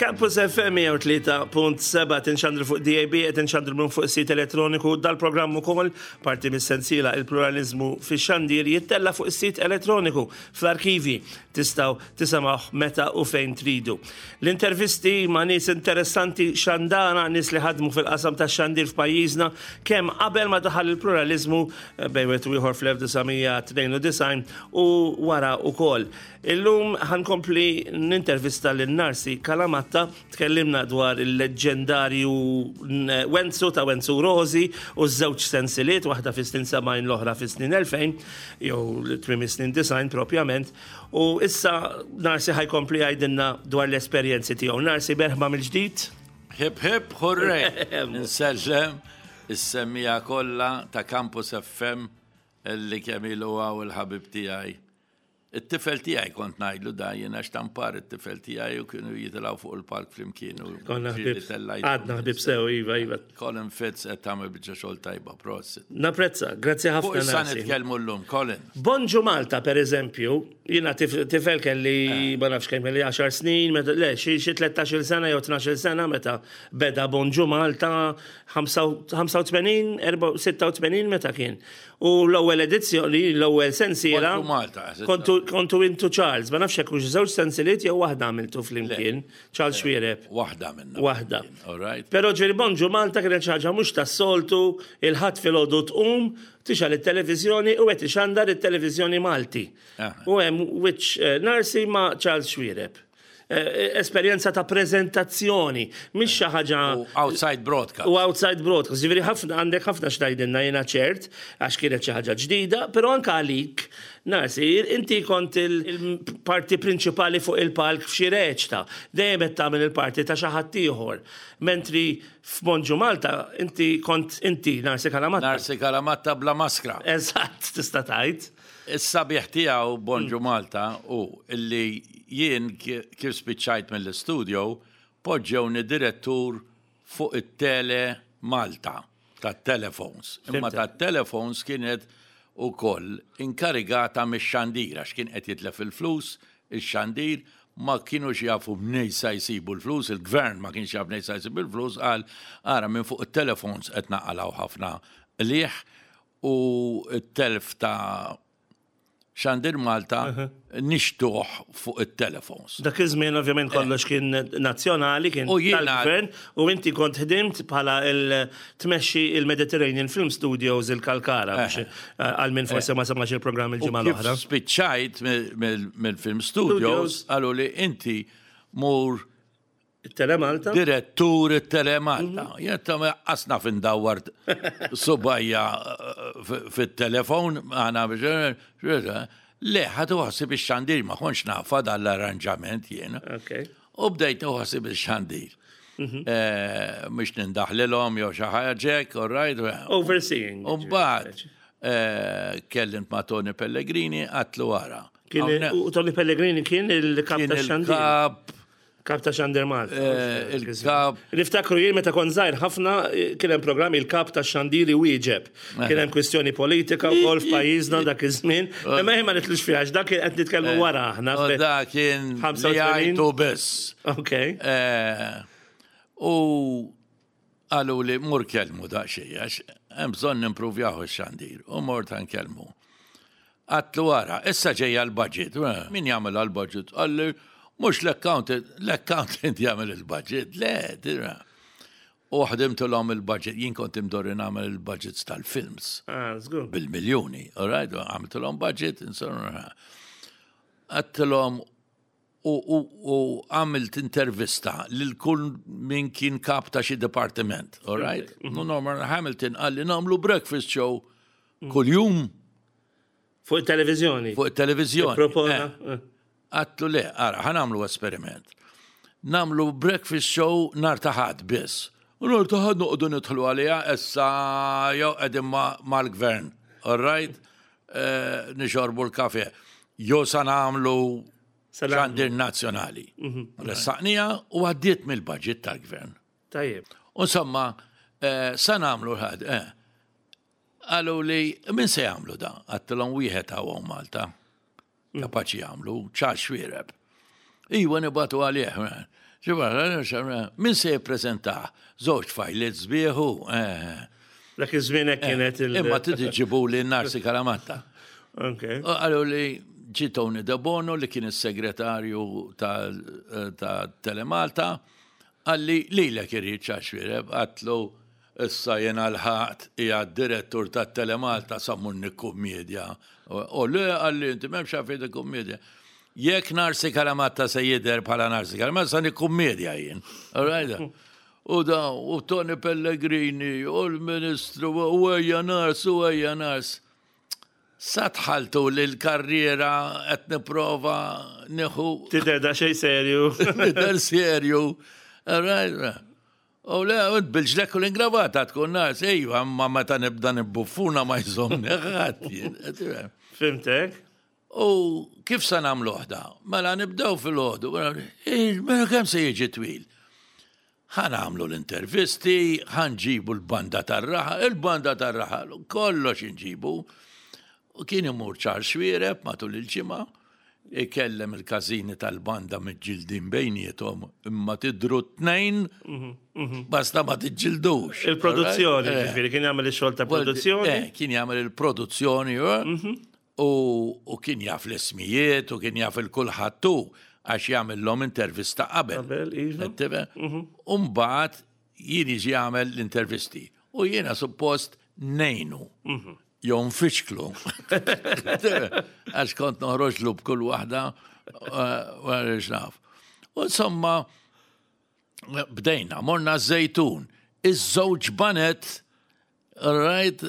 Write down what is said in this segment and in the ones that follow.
Campus FM 103.7 tinxandru fuq DAB, qed inxandru minn fuq is-sit elettroniku dal-programm ukoll parti mis-sensiela il-pluralizmu fix-xandir jittella fuq is-sit elettroniku fl-arkivi tistgħu tisimgħuh meta u fejn tridu. L-intervisti ma' nies interessanti xandara, nies li ħadmu fil-qasam tax-xandir f'pajjiżna kemm qabel ma daħal il-pluralizmu eh, bejn wieħed u ieħor fl-1992 u wara ukoll. Illum ħa nkompli nintervista lil Narsi Calamatta, tkellimna dwar il-leġġendarju Wenzu ta' Wenzu Rosi u ż-żewġ sensiliet, waħda fis-snin 70 l-oħra fis-snin 2000, jew tmiem is-snin 90 propjament, u issa Narsi ħa jkompli jgħidilna dwar l-esperjenzi tiegħu. Narsi merħba mill-ġdid. Hip hip hurray! Insellem is-semmiegħa kollha ta' Campus FM li kemm ilu hawn il-ħabib tiegħi It-tifel tiegħi kont ngħidlu da jien għax tampar it-tifel tiegħi u kienu jitilgħu fuq il-palk flimkien u Konna ħbieb. Għadna ħbieb sew, iva, iva. Colin Fitz qed tagħmel biċċa xogħol tajba, prosit. Napprezza, grazzi ħafna. Fuq issa nitkellmu llum, Colin. Bonġu Malta, per eżempju, jiena tifel kelli eh. ma nafx kemm kelli 10 snin, meta le xi 13-il sena jew 12-il sena meta beda Bonġu Malta 85, 86 meta kien. U l-ewwel edizzjoni, l-ewwel sensiela. Kontu Malta. Kontu, kontu intu Charles, ma nafx hekk hux żewġ sensiliet jew waħda għamiltu flimkien, Charles Xuereb. Waħda minna. Waħda. All right. Però ġieli Bonġu Malta kienet xi ħaġa mhux tas-soltu, il-Ħadd filgħodu tqum, tixgħel it-televiżjoni u qed ixandar it-televiżjoni Malti. U hemm wiċċ eh, Narsi ma' Charles Xuereb. Eh, eh, esperjenza ta' prezentazzjoni, mhix xi ħaġa. U outside broadcast. U outside broadcast. Ġifieri ħafna għandek ħafna x'tgħidilna jiena ċert għax kienet xi ħaġa ġdida, però anke għalik Nasir, inti kont il-parti prinċipali fuq il-palk f'xi reċta, dejjem qed tagħmel il-parti ta' xi ħadd ieħor. Mentri f'Bonġu Malta inti kont inti Narsi Kalamatta. Narsi Kalamatta bla maskra. Eżatt, tista' tgħid. Is-sabiħ tiegħu Bonġu Malta hu illi jien kif spiċċajt mill-istudio poġġewni direttur fuq it-Tele Malta tat-telephones. Imma tat-telephones kienet ukoll inkarigata mix-xandir għax kien qed jitlef il-flus, ix-xandir ma kinux jafu mnejn sa jsibu l-flus, il-gvern ma kienx jaf mnejn sa jsib il-flus, qal ara minn fuq it-telephones qed naqalgħu ħafna qligħ u t-telf ta' Xandir Malta nixtuh fuq it-telefons. Dak iż-żmien ovvjament eh. kollox kien nazzjonali, kien tal-gvern, u inti kont ħdimt bħala il-tmexxi il-Mediterranean Film Studios il-Kalkara biex eh. eh, għal min forsi ma semax il-programm il-ġimgħa l-oħra. Spiċċajt mill-Film Studios qalu li inti mur It-Telemalta? Direttur it-Telemalta. Mhm. Jien ta' qasna fin dawwar subajja eh, fit-telefon għana biex le ħadu ħasib ix-xandir ma kontx nafa dal-arranġament jien. U bdejt ħasib ix-xandir. Mhm. Eh, mhux nindaħlilhom jew xi ħaġa all right. Overseeing. U mbagħad eh, kellimt ma' Tony Pellegrini għatlu wara. U Tony Pellegrini kien il-kap ta' xandir. Kap Kap ta' Xandir Malta. Eh, il-kap. Niftakru jien meta kont żgħir ħafna eh, kien hemm programm il-kap ta' Xandiri wieġeb. Eh. Kien hemm kwistjoni politika wkoll f'pajjiżna dak iż-żmien. Imma ma nitlux fiha dak kien qed nitkellmu wara aħna. Da kien 85 biss. Ok. U Qalu li mur kellmu daqsxejn għax hemm bżonn nimpruvjaw ix-xandir u mort nkellmu. Għatlu ara, issa ġejja l-budget. Eh, min jagħmel għall-budget? Qalli mhux l-accountant, l-accountant jagħmel il-budget. Le, dira. U ħdimtilhom il-budget, jien kont imdorri nagħmel il-budgets tal-films. Ah, Bil-miljuni, all right, għamiltilhom budget, insomma. Għattilhom u għamilt intervista lil kull min kien kap ta' xi dipartiment, all right? Mhm. Norman Hamilton qalli nagħmlu breakfast show mm. kuljum. Fuq it-televiżjoni. Fuq it-televiżjoni. Eh. eh. Għatlu le, ara, ħa nagħmlu esperiment. Nagħmlu breakfast show nar ta' ħadd biss. U nar ta' ħadd noqogħdu nidħlu għaliha issa jew qegħdin mal-gvern, all right? Eh, nixorbu l-kafe. Jo sa nagħmlu xandir nazzjonali. Mhm. Ressaqnija u għaddiet mill-budget tal-gvern. Tajjeb. Insomma, eh, sa nagħmlu l-ħad. Eh. Qalu li min se jagħmlu da? Għattilhom wieħed hawn Malta. Mm. Kapaċi jagħmlu, ċar xwiereb. Iwa nibatu għalih. Min se jippreżentah? Żewġ tfajliet sbieħ u. Dak iż-żmien hekk kienet il- Imma trid iġġibu li Narsi Kalamatta. Ok. Qalu li ġie Tony Debono li kien is-segretarju ta' Telemalta, qalli lilek irid Charles Xuereb, għadtlu Issa jiena lħaqt qiegħed direttur tat-Telemalta sa mmur nikkummedja. O le, qalli inti m'hemmx għalfejn tikkummedja. Jekk Narsi Kalamatta se jidher bħala Narsi Kalamatta sa nikkummedja jien. All right? U da, u Tony Pellegrini, u l-Ministru, u ejja Nars, u ejja Nars. Sa dħaltu li l-karriera qed nipprova nieħu. Tidher daqsxejn serju. Tidher serju. All right? U le, int bil-ġlekk u l-ingravata tkun nas, ejwa, imma meta nibda nibbuffuna ma jżommni ħadd jien. Fimtek? U kif sa nagħmluh da? Mela nibdew fil-ħodu, mela kemm se jiġi twil? Ħa nagħmlu l-intervisti, ħa nġibu l-banda tar-raħa, il-banda tar-raħa, kollox inġibu. U kien imur Charles Xuereb matul il-ġimgħa, ikellem il-każini tal-banda miġġildin bejniethom imma tidhru t-tnejn basta ma tiġġildux. Il-produzzjoni, eh. ġifieri kien jagħmel ix-xogħol ta' produzzjoni. Eh, kien jagħmel il-produzzjoni eh. u kien jaf l-ismijiet u kien jaf il-kulħadd tu għax jagħmilhom intervista qabel. Qabel, iva. U mbagħad jien jiġi jagħmel l-intervisti u jiena suppost ngħinu. Jew nfixklu. Għax kont noħroġlu b'kull waħda għarix naf. U insomma, bdejna, morna żejtun. Iż-żewġ banet, right,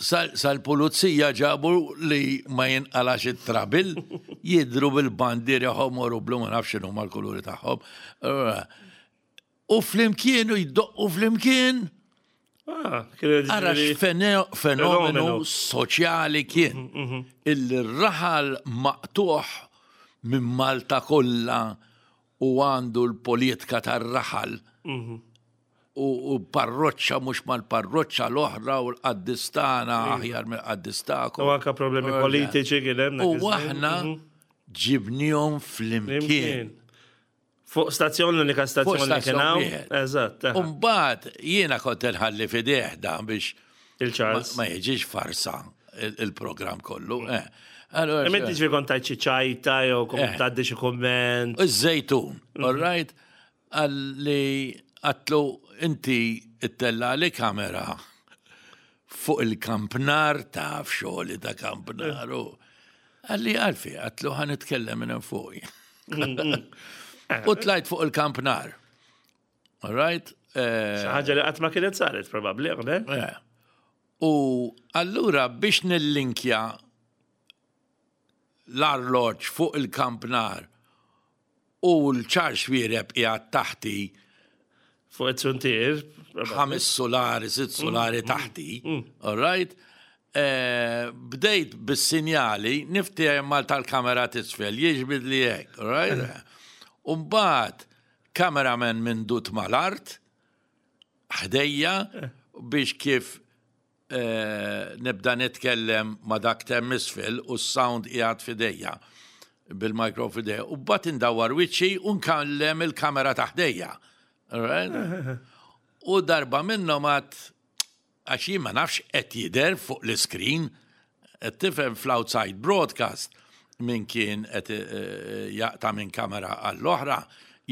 sal-pulizija ġabu li ma jinqalax it-trabil, jidru bil-bandieri ħomor u blu ma nafx x'inhuma l-kuluri tagħhom. U flimkien u jdoqqu flimkien. Ah, Ara fenomenu soċjali kien. Mhm, mhm. Il-raħal maqtuħ minn Malta kollha u għandu l-politika tar-raħal. Mhm. U parroċċa mhux mal-parroċċa l-oħra u l-qaddistana aħjar mill-qaddistakom. U anka problemi politiċi kien hemm. U aħna ġibnihom flimkien. Fuq stazzjon l-unika stazzjon li kien hawn. Eżatt. Umbagħad jiena kont inħalli fideh dan biex il-Charles ma jiġix farsa il-programm kollu. Eh. Allora, Imma inti ġifieri kont tajt xi ċajta jew kont eh. tgħaddi xi kumment. Iż-żejtun, mhm. all right? Għalli għatlu inti ittella li kamera fuq il-kampnar taf xogħli ta' kampnar. Għalli għalfi, għatlu ħan nitkellem minn fuq. U tlajt fuq il-kampnar. All right? Eh, ħaġa li qatt ma kienet saret probabbli, qabel. Eh. U allura biex nillinkja l-arloġġ fuq il-kampnar u l-ċar xwiereb qiegħed taħti. Fuq it-suntier. Ħames solari, sitt solari mm, mm, taħti. Mm. All right? Eh, bdejt bis-sinjali niftiehem mal tal-kamera tisfel, jiġbid li hekk, all right? Eh. Umbagħad cameraman minn dut mal-art, ħdejja eh. biex kif Nibda nitkellem ma' dak t'hemm isfel u s-sound qiegħed f'idejja, bil-micro f'idejja, u mbagħad indawwar wiċċi u nkellem il-kamera ta' ħdejja. U darba minnhom għad għax jien ma nafx qed jidher fuq l-iskrin, qed tifhem fl-outside broadcast min kien qed jaqta' minn kamera għall-oħra,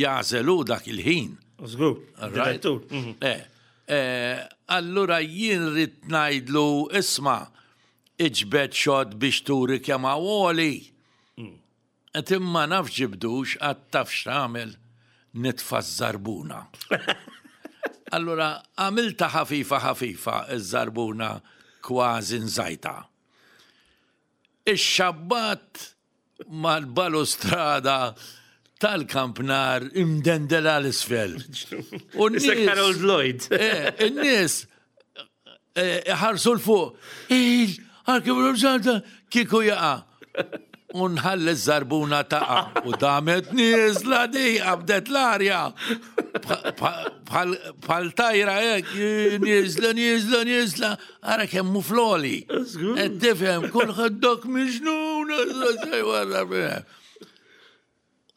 jagħżel hu dak il-ħin. Żgur, direttur. Eh, Allura jien ridt ngħidlu isma' iġbed xott biex turi kemm hawn għoli. Qed imma naf ġibdux għad taf x'tagħmel nitfa' ż-żarbuna. Allura għamiltha ħafifa ħafifa ż-żarbuna kważi nżajtha. Ix-xabbat mal-balustrada tal-kampnar imdendel għal isfel. U n-nies. Harold Lloyd. Eh, in-nies eh, iħarsu l-fuq. Il, għal kieku jaqa. U nħalli żarbuna taqa' u damet nieżla di qabdet l-arja. Bħal tajra hekk, nieżla, nieżla, nieżla. Ara kemm hu floli. Qed tifhem kulħadd dak miġnun.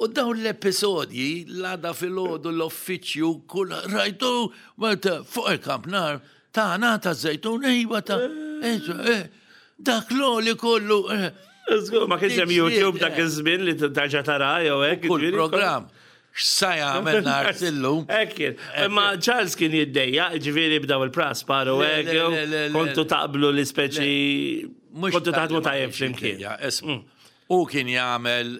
U dawn l-episodji, l-għada filgħodu l-uffiċċju, kull rajtu, meta fuq il-kampnar, tagħna ta' żejtun, ejwa ta' eh, eh, dak l-oli kollu. Eh. Żgur, ma kienx hemm YouTube dak iż-żmien li tarġa' tara jew hekk. Kull programm. X'sa jagħmel nhar illum. Hekk kien. Imma Charles kien jiddejja, ġifieri bdaw il-praspar u hekk. Kontu taqblu li speċi kontu taħdmu tajjeb flimkien. Mm. U kien jagħmel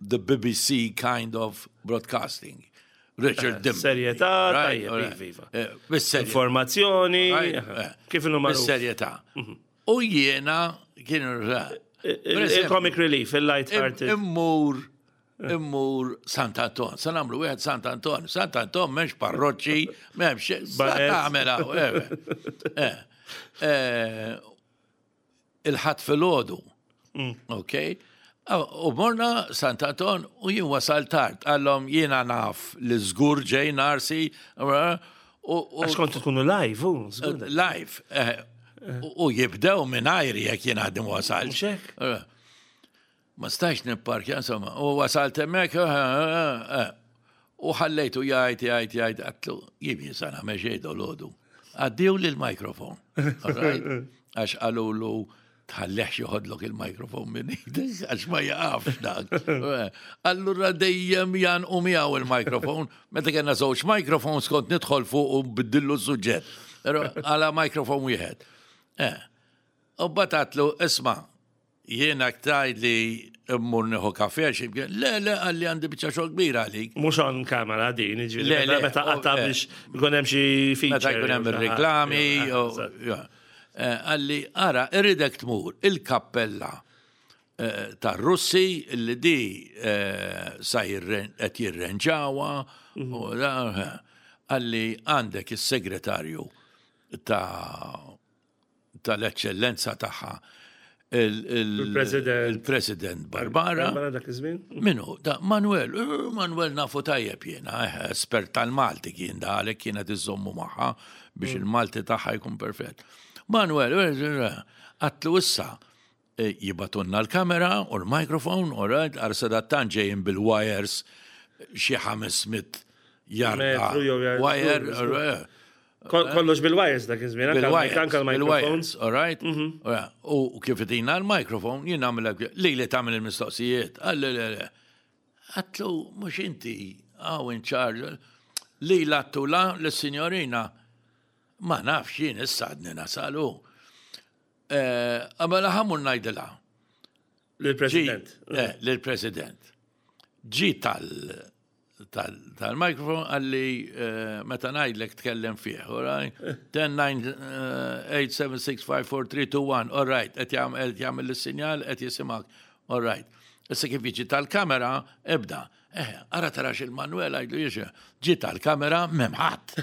the BBC kind of broadcasting. Richard eh, Dimbley. Serjetà, tajjeb, iva, iva. Eh, Informazzjoni, eh, kif inhu magħruf. Serjetà. Mhm. U jiena kien Il-comic relief, il-light hearted. Immur immur Sant Anton, sa nagħmlu wieħed Sant Anton, Sant Anton m'hemmx parroċċi, m'hemmx sa tagħmel il-Ħadd filgħodu. Mm. Ok? U morna Sant Anton u jien wasal tard. Għallhom jiena naf li żgur ġej narsi. Għax kontu tkunu live, u żgur. Live. Eh, u jibdew minn ajri jekk jien għadni wasal. Eh. Ma stajx nipparkja, insomma, u wasalt hemmhekk, eh, eh, eh, u ħallejtu jgħid, jgħid, jgħid, għatlu, jien jien sa nagħmel xejn dolodu. Għaddiw li l-mikrofon. Għax qalulu tħalleħx joħodlok il-mikrofon minn idek, għax ma jaqafx dak. Allura dejjem janqu miegħu il-mikrofon, meta kellna żewġ mikrofons kont nidħol fuq u biddillu s-suġġett. Għala mikrofon wieħed. U batatlu, isma' Jiena tgħidli mmur nieħu kafè xi mkien. Le, le, qalli għandi biċċa xogħol kbira għalik. Mhux on camera din, jiġifieri meta meta qatta' oh, eh. biex ikun hemm xi feature. Meta jkun hemm ir-reklami. Eh, qalli ara, irridek tmur il-kappella eh, tar-Russi li di sa qed jirrenġawha. Mhm. Qalli għandek is-segretarju ta' tal-eċċellenza tagħha il-President il-President Barbara. Barbara dak iż-żmien. Minu, da Manuel, eh, Manuel nafu tajjeb jiena, eh, espert tal-Malti kien da għalhekk kienet iżommu magħha biex mm. il-Malti tagħha jkun perfett. Manuel, eh, għatlu issa jibatunna l-kamera u l-mikrofon, u right, għar sadattan ġejjin bil-wires xi 500 jarda. Wire, Kollox bil-wires dak iż-żmien, anke l-microphones. All right? Mhm. U kif itina l-microphone, jien nagħmel li li tagħmel il-mistoqsijiet. Għalli le le. Għatlu mhux inti hawn in charge. Li lattu la l-sinjorina ma nafx jien issa għadni nasalu. Eh, għamela ħamur ngħidilha. Lill-President. Eh, lill-President. Ġi tal tal-mikrofon għalli eh, meta ngħidlek tkellem fih, all right? 10, 9, 8, 7, 6, 5, 4, 3, 2, 1, all right, qed jagħmel is-sinjal, qed jisimgħek, all right. Issa kif jiġi tal-kamera, ebda. Eh, ara tarax il-Manuel għajdu jiex, ġi tal-kamera memħat.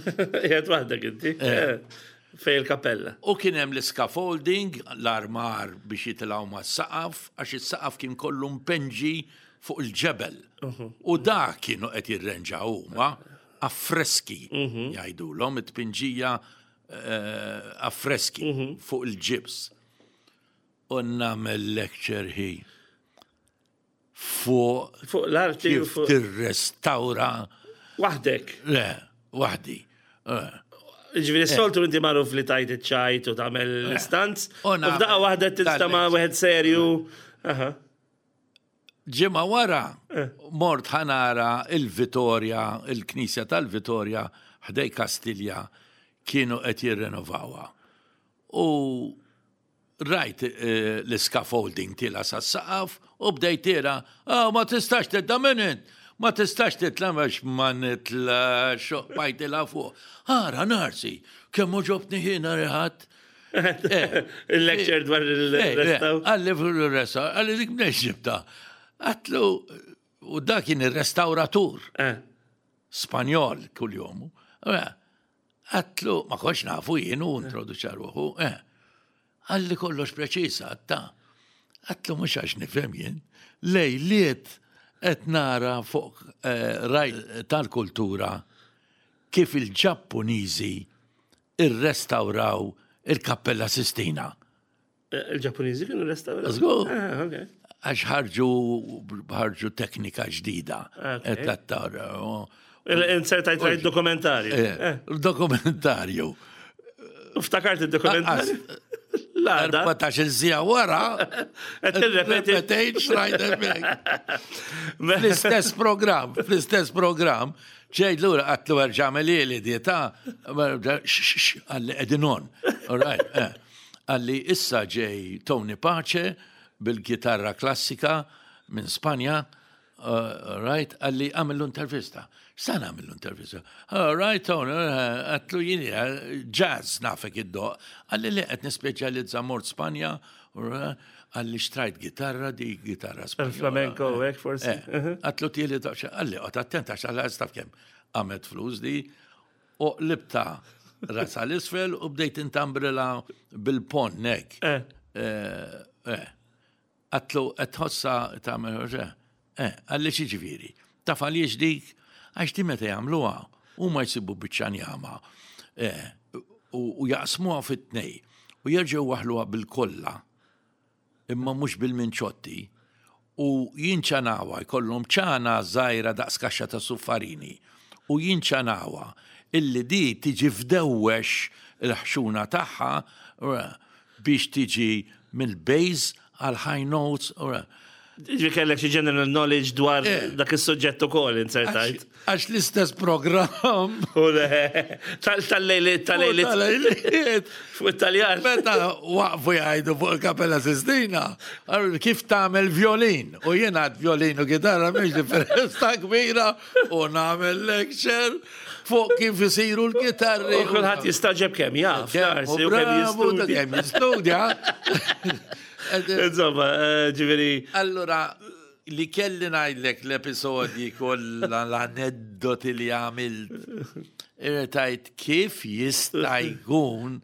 Jgħed waħdek inti. Eh. Fej il-kapella. U kien hemm l-scaffolding, l-armar biex jitilgħu mas-saqaf, għax is-saqaf kien kollu mpenġi fuq il-ġebel. U dak kienu qed jirrenġaw huma affreski mhm. jgħidulhom it-tpinġija eh, affreski mhm. fuq il-ġibs. U nagħmel lecture hi fuq fuq l-arti kif tirrestawra waħdek. Le, waħdi. Eh. Ġifieri s-soltu inti magħruf li tajt iċ-ċajt u tagħmel l-istanz. U f'daqqa waħda tinstama' wieħed serju. Ġimgħa wara mort ħa nara il-Vitorja, il-Knisja tal-Vitorja ħdej Kastilja kienu qed jirrenovawha. U rajt eh, l-scaffolding tila sas-saqaf u bdejt tira, ah, ma tistax titla' minn int, ma tistax titla' għax ma nitlax, bajtilha fuq. Ara narsi, kemm ġobtni ħina riħat. Eh. Il-lecture dwar il-restaw. Għalli fuq il-restaw, għalli dik mnex ġibta. Għatlu, u da kien il-restauratur. Eh. Spanjol kull jomu. Eh, għatlu, ma konx nafu jien u introduċa ruħu. Għalli kollox preċisa, għatta. Għatlu mux għax nifhem jien. Lejliet qed nara fuq raj tal-kultura kif il-Ġappuniżi irrestawraw il-Kappella Sistina. Eh, il-Ġappuniżi kienu restawraw? Żgur. Ah, Għax ħarġu ħarġu teknika ġdida. Insertajt rajt dokumentarju. Eh, eh. Dokumentarju. Ftakart il-dokumentarju. L-għada. 14 sija wara. Repetejt xrajt Fl-istess program, fl-istess program, ġejt lura għatlu erġa' li dieta, għalli edin on. All right. Eh. Għalli issa ġej Tony Pace bil-gitarra klassika minn Spanja, uh, right, għalli għamillu intervista. Sa għamillu intervista? All right, Tony, uh, għatlu jini, uh, jazz nafek id-doq. Għalli li għet nispeċjalizza mort Spanja, għalli xtrajt gitarra di gitarra Spanja. Flamenco, hekk forsi. Eh, uh-huh. Għatlu tieli doq, għalli għot attent għax għalli għastaf kem għamet flus di, U qlibtha rasha 'l isfel u bdejt intambrila bil-ponn hekk. Eh. Eh, eh. Għatlu qed tħossha tagħmel eh, għalli xi ġifieri. Taf għaliex dik għax di meta jagħmluha huma jsibu biċċa njama eh, u jaqsmuha fit-tnej u jerġgħu waħluha bil-kollha imma mhux bil-minċotti, u jinċanawha, jkollhom ċana żgħira daqs kaxxa ta' suffarini, u jinċanawha illi di tiġi fdewwex il-ħxuna tagħha biex tiġi mill-bass għal high notes. Ġi kellek xi general knowledge dwar eh. dak is-suġġett ukoll insertajt. Għax l-istess programm. U le, tal-lejliet, tal-lejliet. Tal-lejliet. Fuq it-Taljan. Meta waqfu jgħidu fuq il-Kapella Sistina, kif tagħmel violin. U jien għad violin u kitarra mhix differenza kbira u nagħmel lecture fuq kif isiru l-kitarri. U kulħadd jistaġeb kemm jaf. U kemm jistudja. Kemm jistudja. Insomma, eh, ġifieri. Allura, Li kelli ngħidlek l-episodji kollha l-aneddoti li għamilt. Irritajt kif jista' jkun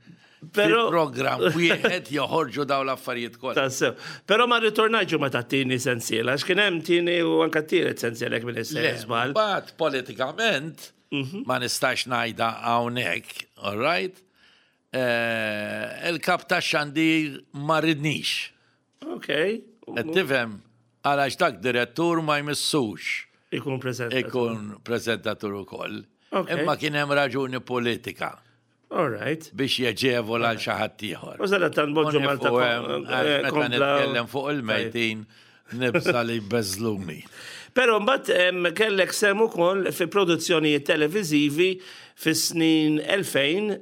Pero program wieħed joħorġu daw l-affarijiet kollha. Tassew. Però ma ritornajġu ma tat-tieni sensiela, għax kien hemm tieni u anke tielet sensiela jekk minn żball. Mbagħad politikament mhm. ma nistax ngħidha hawnhekk, all right? Eh, il-kap tax-xandir ma ridnix. Ok. Qed tifhem għalax dak direttur ma jmissux. Ikun preżentatur. Ikun preżentatur ukoll. Imma kien hemm raġuni politika. All right. Biex jeġevola għal xi ħadd ieħor. U żara tan-boġġu Malta. Eh, meta nitkellem fuq il-mejtin nibża li jbeżluni. Però mbagħad kellek sem ukoll fi produzzjonijiet televiżivi fis-snin 2000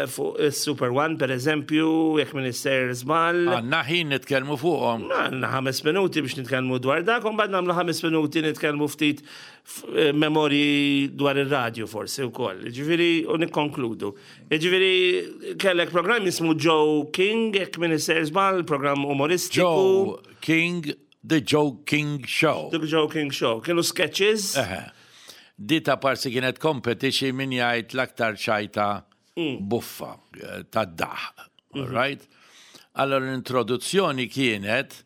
fuq is-Super One per eżempju, jekk minn sejjer żball. Għandna ħin nitkellmu fuqhom. Għandna ħames minuti biex nitkellmu dwar dak, u mbagħad nagħmlu ħames minuti nitkellmu ftit eh, memorji dwar ir-radju forsi wkoll. Ġifieri u nikkonkludu. Ġifieri kellek programm jismu Joe King, jekk minn sejjer żball, programm umoristiku. Joe King The Joe King Show. The Joe King Show. Kienu sketches. Di ta' parsi kienet competition min jgħid l-aktar ċajta mm. buffa eh, ta' daħ. Mm Right? Allora l-introduzzjoni kienet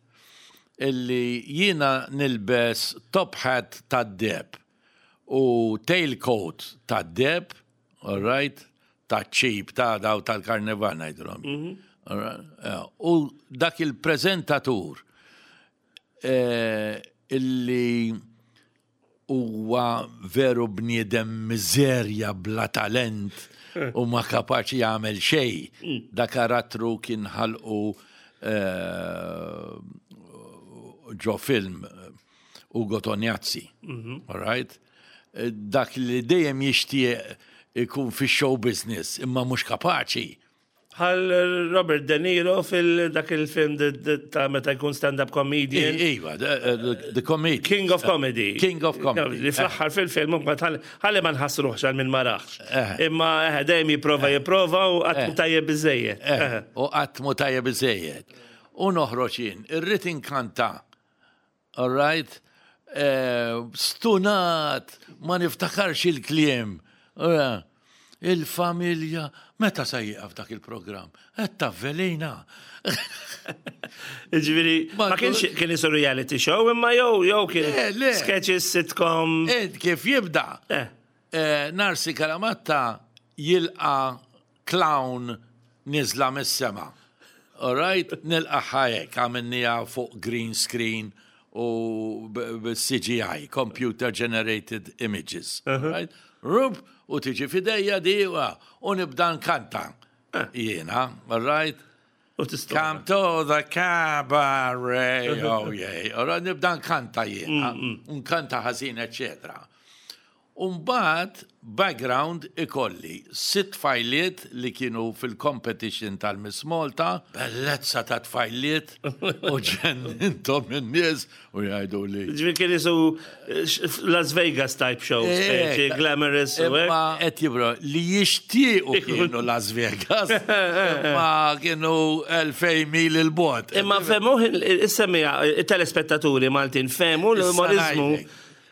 illi jiena nilbes top hat ta' deb u tailcoat ta' deb, all right, ta' ċip ta' daw tal-karnival ngħidulhom. Mhm. Eh, u dak il-preżentatur eh, illi huwa veru bniedem miżerja bla talent u ma kapaċi jagħmel xejn. Mm. Da karattru kien ħalqu eh, ġo film Ugo Tognazzi. Mhm. All right? Dak li dejjem jixtieq ikun fi show business imma mhux kapaċi. Bħal Robert De Niro fil-dak il-film ta' meta jkun stand-up comedian. Iva, the comedian. King of Comedy. King of Comedy. Li fl-aħħar fil-film ħalli ma nħassruħx għal min ma raħx. Eh. Imma eh, dejjem jipprova eh. jipprova u qatt mu tajjeb biżejjed. U qatt mu tajjeb biżejjed. U noħroġ jien, irrid inkanta All right? Eh, stunat, ma niftakarx il-kliem. Eh, il-familja, meta sa jieqaf dak il-programm? Qed tavvelina. Ġifieri, ma kienx kien isu reality show imma jew jew kien sketches sitcom. Ed kif jibda? Eh. Narsi Kalamatta jilqa' clown nieżla mis-sema. All right, nilqagħha hekk, għamilniha fuq green screen u b-CGI, Computer Generated Images. Right? Rup, u tiġi f'idejja di u nibda nkanta. Jiena, all right? U tista' Come to the cabaret, oh yeah. All right, nibda nkanta jiena, nkanta ħażin, eccetera. Umbagħad background ikolli sitt tfajliet li kienu fil-competition tal-Miss Malta, bellezza ta' tfajliet u ġenninthom in-nies u jgħidu li. Ġifieri kien isu Las Vegas type show, speċi glamorous u hekk. Imma qed jibro li jixtiequ kienu Las Vegas, imma kienu 2000 mil il-bogħod. Imma fehmuh is-semmiegħa, it-telespettaturi Maltin fehmu l-umorizmu.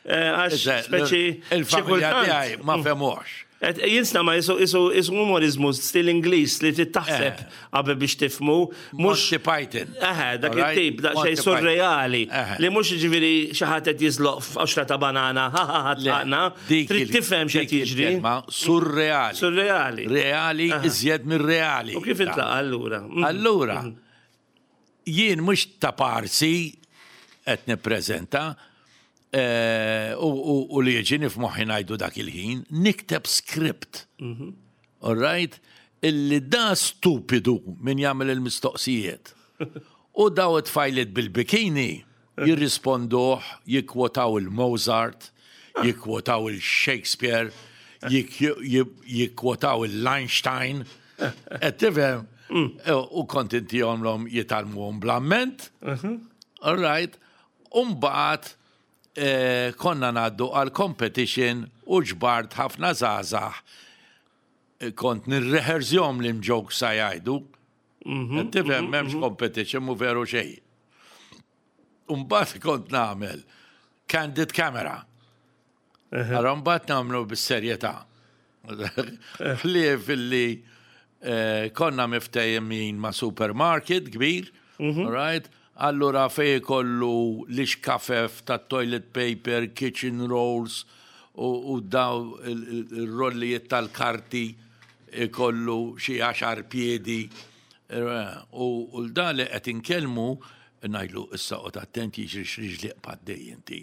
Għax speċi. Il-familja tiegħi ma fehmuhx. Jinsna ma jisu jisu jisu umorizmu stil Ingliż li trid taħseb qabel biex tifmu. Monty Python. Eħe, dak it-tip, daqsxejn surreali. Li mhux jiġifieri xi ħadd qed jiżloq f'qoxra ta' banana, ha ha ha tlaqna. Trid tifhem x'qed jiġri. Surreali. Surreali. Reali iżjed mir-reali. U kif intlaqa' allura? Allura, Jien mhux ta' parsi qed nippreżenta u li jiġini f'moħħi ngħidu dak il-ħin, nikteb script. All right? Illi da stupidu min jagħmel il-mistoqsijiet. U daw it-tfajliet bil-bikini jirrisponduh, jikkwotaw il-Mozart, jikkwotaw il-Shakespeare, jikkwotaw il-Einstein. Qed tifhem? U kont intihomlhom jitgħallmuhom bl-amment. All right. U mbagħad konna ngħaddu għal competition u ġbart ħafna żgħażagħ kont nirrehersjhom li jokes sa jgħidu. Qed tifhem m'hemmx competition mhu veru xejn. U mbagħad kont nagħmel candid camera. Ara mbagħad nagħmlu bis-serjetà. Ħlief illi eh, konna miftehmin ma' supermarket kbir, mhm. right? Allura fej kollu l-ixkafef ta' toilet paper, kitchen rolls u daw il-rollijiet tal-karti ikollu xi għaxar piedi. Eh, u l-da li qed inkellmu Ngħidlu issa qgħod attent jiġri x'riġli qbad inti.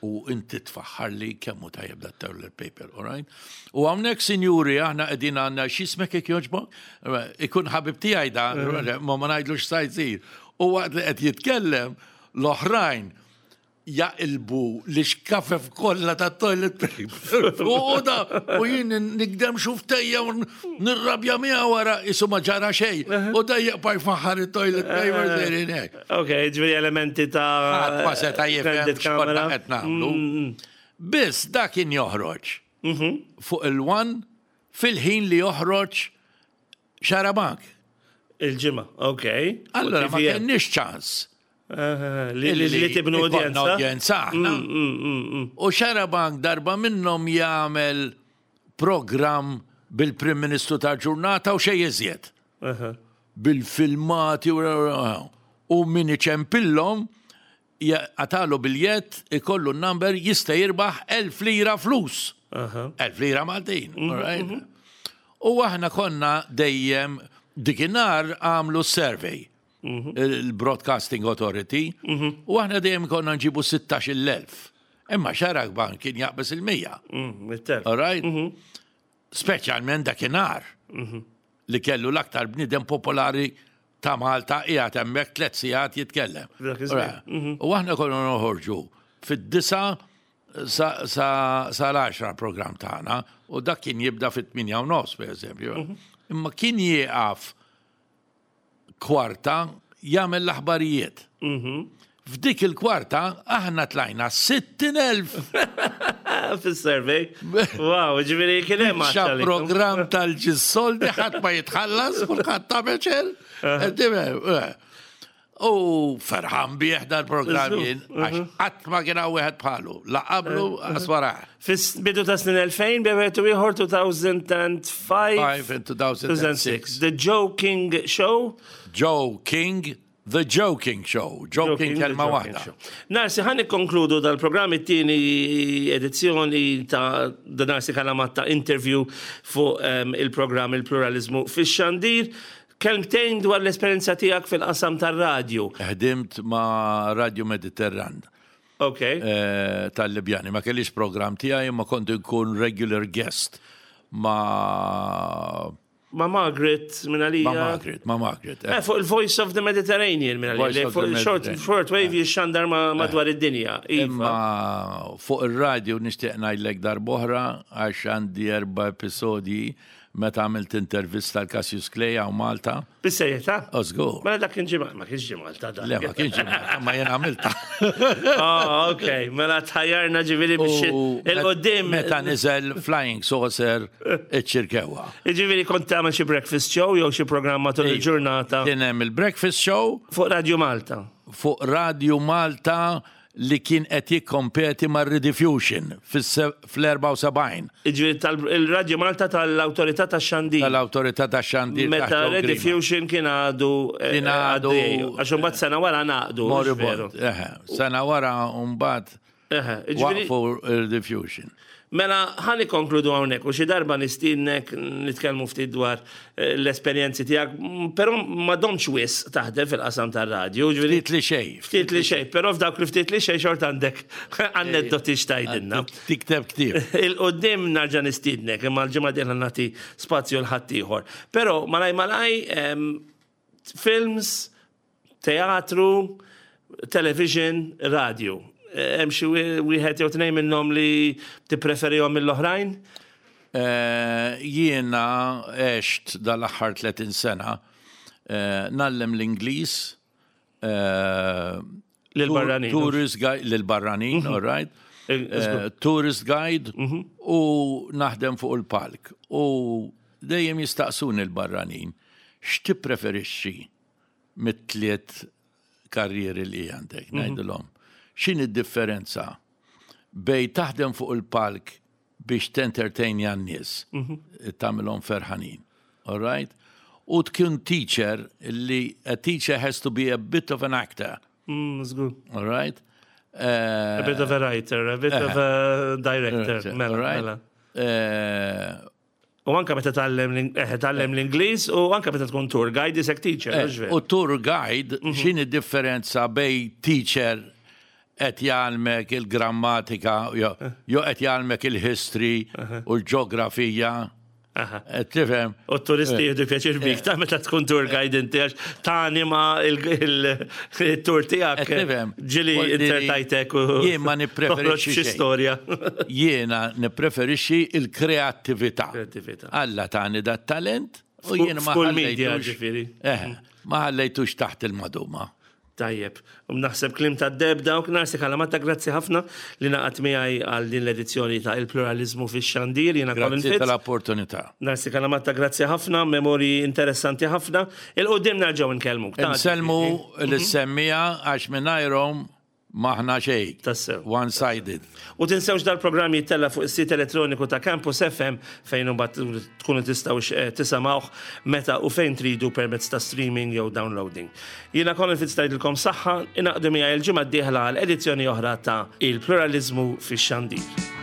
U inti tfaħħarli kemm hu tajjeb dat toilet paper, all right? U hawnhekk sinjuri aħna qegħdin għandna x'ismek jekk jogħġbok? Ikun ħabib tiegħi da, ma ma ngħidlux sa jsir. U waqt li qed jitkellem l-oħrajn jaqilbu l-ixkafef kollha ta' toilet paper. U da, u jien nikdem xuftejja u nirrabja miegħu wara isu ma ġara xejn. U da jaqpa' jfaħħar it-toilet paper sejrin hekk. Ok, ġifieri elementi ta' Ħadd ma seta' jifhem x'konna qed nagħmlu. Mm, mm. Biss da kien joħroġ mhm. fuq il-one fil-ħin li joħroġ Xarabank. Il-ġimgħa, ok. Allora ma kenniex ċans. Li tibnu udjenza. Udjenza aħna. Mm, mm, mm, U Xarabank darba minnhom jagħmel programm bil-Prim Ministru ta' ġurnata u xejn iżjed. Bil-filmati u min iċempillhom Jaqtagħlu biljett, ikollu n-number, jista' jirbaħ 1000 lira flus. 1000 lira Maltin, mhm, right? Mhm. U aħna konna dejjem dikinhar għamlu survey mhm. il-Broadcasting Authority, u aħna dejjem konna nġibu 16,000. Imma xarak ban kien jaqbes il-100. Mm, all right? Speċjalment dakinhar li kellu l-aktar bniedem popolari ta' Malta qiegħed hemmhekk tliet sigħat jitkellem. Mhm. U aħna konna noħorġu fid-disa sa l-10 program tagħna u dak kien jibda fit-8 u nofs pereżempju. Mhm. Imma kien jieqaf kwarta jagħmel l-aħbarijiet. Mhm. F'dik il-kwarta aħna tlajna 60,000. Fis-survey. Wow, ġifieri kien hemm Xa programm tal-ġissoldi ħadd ma jitħallas, kulħadd ta' meċel. Eh. U ferħan bih dal-programm jien, għax qatt ma kien hawn wieħed bħalu, la qablu għas wara. Fis-bidu ta' snin 2000, bejn u ieħor 2005. 2006. The Joe King Show. Joe King The Joking Show, Joking kelma waħda. Narsi, ħan nikkonkludu dal-programm it-tieni edizzjoni ta' The Narsi Kalamatta interview fuq ehm, il-programm il-pluralizmu fix-xandir. Kelmtejn dwar l-esperjenza tiegħek fil-qasam tar-radju. Ħdimt ma' Radio Mediterran. Ok. Eh, tal-Libjani. Ma kellix program tiegħi imma kont inkun regular guest ma' Ma' Margaret minn għalija. Ma' Margaret, ma' Margaret. Eh, fuq il-Voice of the Mediterranean minn għalija. Fuq short, short wave eh. jixxandar madwar id-dinja. Iva. Imma fuq il-radio nixtieq ngħidlek darboħra għax għandi erba' episodji Meta għamilt intervista l Cassius Clay hawn Malta. Bis-serjetà? Oh, żgur. Mela dak kien ġie ma kienx ġie Malta dak. Le, ma kienx ġie Malta, ma jien għamilta. Oh, ok, mela tħajjarna ġifieri biex il-qudiem. Meta niżel Flying Saucer iċ-Ċirkewwa. Ġifieri kont tagħmel xi breakfast show jew xi programm matul il-ġurnata. Kien hemm il-breakfast show. Fuq Radio Malta. Fuq Radio Malta li kien qed jikkompeti mar-Rediffusion fl-74. Jiġifieri il-Radju Malta tal-Awtorità tax-Xandir. Tal-Awtorità tax-Xandir. Meta Rediffusion kien għadu kien għadu għax imbagħad sena wara ngħaqdu. Moribond, eħe. Sena wara mbagħad waqfu Rediffusion. Mela, ħa nikkonkludu hawnhekk u xi darba nistiednek nitkellmu ftit dwar eh, l-esperjenzi tiegħek, però ma domx wisq taħdem fil-qasam tar-radju. Ftit li xejn. Ftit li xejn, però f'dawk li ftit li xejn xort għandek aneddoti x'tajdilna. Tikteb ktieb. Il-qoddim narġa' nistiednek, imma l-ġimgħa dieħla nagħti spazju l ħaddieħor. Però malaj malaj films, Teatru, television, radio. Hemm xi wieħed jew tnejn minnhom li tippreferihom mill-oħrajn? Jiena għext dal-aħħar 30 sena ngħallem l-Ingliż Lil-barranin. Tourist guide, lil-barranin, all right. Tourist guide u naħdem fuq il-palk. U dejjem jistaqsuni l-barranin, x'tippreferixxi mit-tliet karrieri li għandek, mhm. ngħidilhom. X'inhi d-differenza bej taħdem fuq il-palk biex tentertainja n-nies, mhm. tagħmilhom ferħanin. All right? U tkun teacher li a teacher has to be a bit of an actor. Mm, All right? Uh, a bit of a writer, a bit uh, of a director. Mela, right? mela. Uh, U anka meta tgħallem eh, tgħallem l-Ingliż u anka meta tkun tour guide isek teacher, eh, mhux veru? U tour guide, mhm. x'inhi differenza bej teacher qed jgħallmek il-grammatika, jew eh. qed jgħallmek il-history u l-ġeografija. Qed tifhem? U t-turisti jieħdu pjaċir bik ta' meta tkun tour guide inti għax tanima il-tour tiegħek. Ġieli inzertajtek u. Jien ma nippreferixxi xi storja. Jiena nippreferixxi il-kreattività. Kreattività. Alla tani dat talent u jiena ma ħallejtux. Ġifieri. Eh, ma ħallejtux taħt il-maduma. Tajjeb. U naħseb kliem tad-deheb dawk, Narsi Calamatta, grazzi ħafna li ngħaqadt miegħi għal din l-edizzjoni ta' Il-Pluraliżmu fix-Xandir. Jiena Colin Grazzi Fitz. tal-opportunità. Narsi Calamatta, grazzi ħafna, memorji interessanti ħafna. Il-quddiem nerġgħu nkellmuk. Ta' Insellmu lis-semmiegħa għax mingħajrhom M'aħna xejn. Tassew. One sided. U tinsewx dal-programm jittella' fuq is-sit elettroniku ta' Campus FM fejn imbagħad tkunu tistgħu eh, tisimgħuh meta u fejn tridu permezz ta' streaming jew downloading. Jiena Colin Fitz ngħidilkom saħħa, ingħaqdu miegħi l-ġimgħa d-dieħla għal edizzjoni oħra ta' Il-Pluraliżmu fix-Xandir.